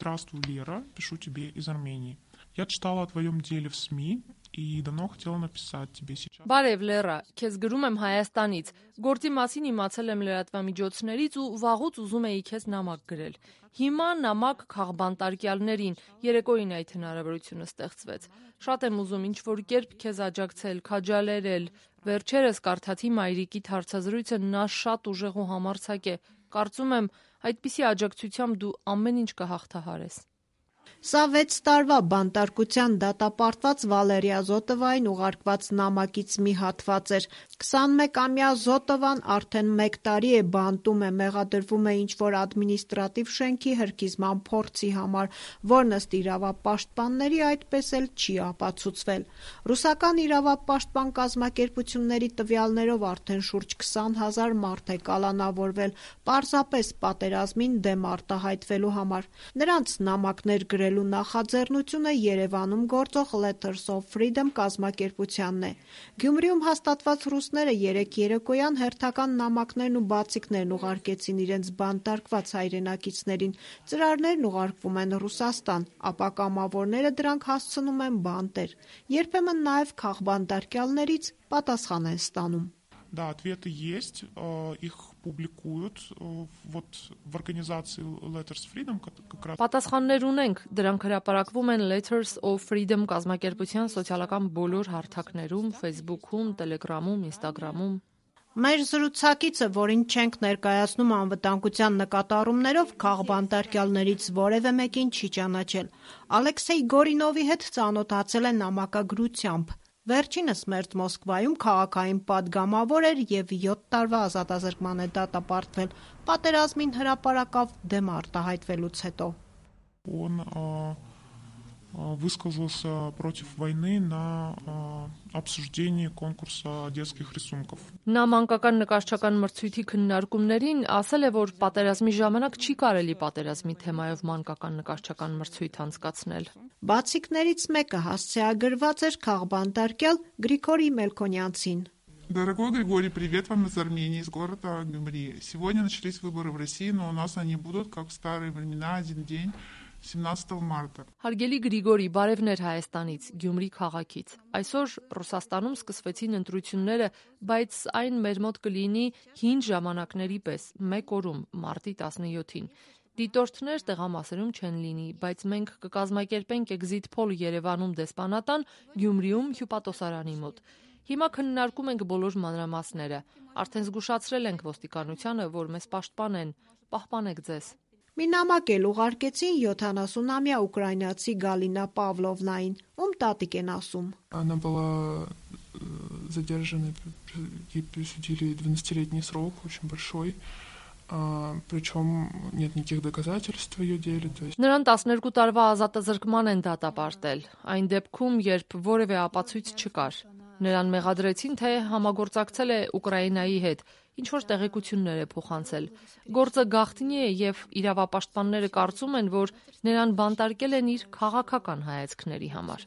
Здравствуй, Лера, пишу тебе из Армении. Я читала о твоем деле в СМИ и давно хотела написать тебе сейчас. Բարև Լերա, քեզ գրում եմ Հայաստանից։ Գործի մասին իմացել եմ լրատվամիջոցներից ու վաղուց ուզում էի քեզ նամակ գրել։ Հիմա նամակ քաղբանտարկյալներին, երեկոյին այդ հնարավորությունը ստեղծվեց։ Շատ եմ ուզում ինչ-որ կերպ քեզ աջակցել, քաջալերել։ Վերջերս կարդացի մայրիկիդ հարցազրույցը, նա շատ ուժեղ ու համարձակ է։ Կարծում եմ, այդպիսի աջակցությամբ դու ամեն ինչ կհաղթահարես։ Սա 6 տարվա բանտարկության դատապարտված Վալերիա Զոտովային ուղարկված նամակից մի հատված էր։ 21-ամյա Զոտովան արդեն 1 տարի է բանտում է, մեղադրվում է ինչ-որ ադմինիստրատիվ շենքի հրկիզման փորձի համար, որն ըստ իրավապաշտպանների այդպես էլ չի ապացուցվել։ Ռուսական իրավապաշտպան կազմակերպությունների տվյալներով արդեն շուրջ 20,000 մարդ է կալանավորվել, պարզապես պատերազմին դեմ արտահայտվելու համար։ Նրանց նամակներ գրելու նախաձեռնությունը Երևանում գործող Letters of Freedom կազմակերպությանն է։ Գյումրիում հաստատված ռուսները երեկ երեկոյան հերթական նամակներն ու բացիկներն ուղարկեցին իրենց բանտարկված հայրենակիցներին։ Ծրարներն уղարկվում են Ռուսաստան, ապա կամավորները դրանք հասցնում են бантեր։ Երբեմն նաև քաղբանտարկյալներից պատասխան են ստանում։ Да, ответы есть, их публикуют вот в организации Letters Freedom как раз. Պատասխաններ ունենք, դրանք հրապարակվում են Letters of Freedom կազմակերպության սոցիալական բոլոր հարթակներում, Facebook-ում, Telegram-ում, Instagram-ում։ Մեր զրուցակիցը, որին չենք ներկայացնում անվտանգության նկատառումներով, քաղբանտարկյալներից որևէ մեկին չի ճանաչել։ Ալեքսեյ Գորինովի հետ ծանոթացել է նամակագրությամբ։ Վերջինս մերձ Մոսկվայում քաղաքային պատգամավոր էր և 7 տարվա ազատազրկման է դատապարտվել, պատերազմին հրապարակավ դեմ արտահայտվելուց հետո։ Он высказался против войны на обсуждении конкурса детских рисунков. Նա մանկական նկարչական մրցույթի քննարկումներին ասել է, որ պատերազմի ժամանակ չի կարելի պատերազմի թեմայով մանկական նկարչական մրցույթ անցկացնել։ Բացիկներից մեկը հասցեագրված էր քաղբանտարկյալ Գրիգորի Մելքոնյանցին։ Дорогой Григорий, привет вам из Армении, из города Гюмри. Сегодня начались выборы в России, но у нас они будут, как в старые времена, один день, 17 марта. Հարգելի Գրիգորի, բարևներ Հայաստանից, Գյումրի քաղաքից։ Այսօր Ռուսաստանում սկսվեցին ընտրությունները, բայց այն մեր մոտ կլինի հին ժամանակների պես, մեկ օրում, մարտի 17-ին։ Դիտորդներ տեղամասերում չեն լինի, բայց մենք կկազմակերպենք էքզիթ փոլ Երևանում դեսպանատան, Գյումրիում հյուպատոսարանի մոտ։ Հիմա քննարկում ենք բոլոր մանրամասները։ Արդեն զգուշացրել ենք ոստիկանությանը, որ մեզ պաշտպանեն, պահպանեք ձեզ։ Մի նամակ էլ уղարկեցին 70-ամյա ուկրաինացի Գալինա Պավլովնային, ում տատիկ են ասում։ Она была задержана, ей присудили 12-летний срок, очень большой, причем нет никаких доказательств в ее деле. Նրան 12 տարվա ազատազրկման են դատապարտել, այն դեպքում, երբ որևէ ապացույց չկար։ Նրան մեղադրեցին, թե համագործակցել է Ուկրաինայի հետ, ինչ-որ տեղեկություններ է փոխանցել։ Գործը գաղտնի է և իրավապաշտպանները կարծում են, որ նրան բանտարկել են իր քաղաքական հայացքների համար։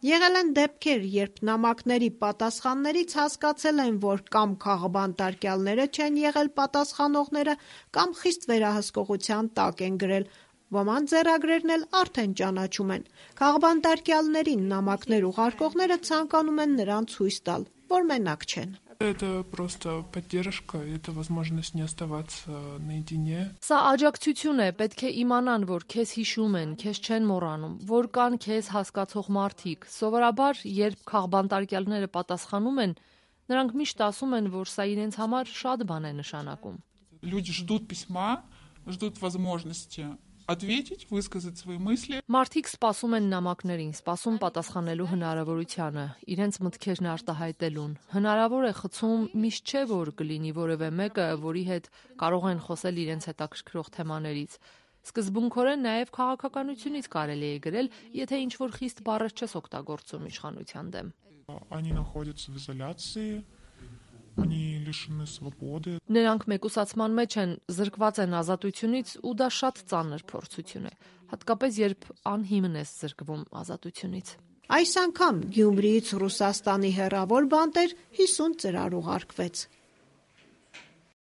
Եղել են դեպքեր, երբ նամակների պատասխաններից հասկացել են, որ կամ քաղբանտարկյալները չեն եղել պատասխանողները, կամ խիստ վերահսկողության տակ են գրել։ Ոմանց ձեռագրերն էլ արդեն ճանաչում են։ Քաղբանտարկյալներին նամակներ ուղարկողները ցանկանում են նրանց ցույց տալ, որ մենակ չեն։ Это просто поддержка, это возможность не оставаться наедине. Սա աջակցություն է, պետք է իմանան, որ քեզ հիշում են, քեզ չեն մոռանում, որ կան քեզ հասկացող մարդիկ։ Սովորաբար, երբ քաղբանտարկյալները պատասխանում են, նրանք միշտ ասում են, որ սա իրենց համար շատ բան է նշանակում։ Люди ждут письма, ждут возможности ответить, высказать свои мысли. Մարդիկ սպասում են նամակներին, սպասում պատասխանելու հնարավորությանը, իրենց մտքերն արտահայտելուն։ Հնարավոր է խցում միշտ չէ, որ կլինի որևէ մեկը, որի հետ կարող են խոսել իրենց հետաքրքրող թեմաներից։ Սկզբունքորեն նաև քաղաքականությունից կարելի է գրել, եթե ինչ-որ խիստ բառեր չես օգտագործում իշխանության դեմ։ Они находятся в изоляции. Они лишены свободы. Նրանք մեկուսացման մեջ են, զրկված են ազատությունից ու դա շատ ծանր փորձություն է, հատկապես երբ անհիմն ես զրկվում ազատությունից։ Այս անգամ Գյումրիից Ռուսաստանի հեռավոր բանտեր 50 ծրար ուղարկվեց։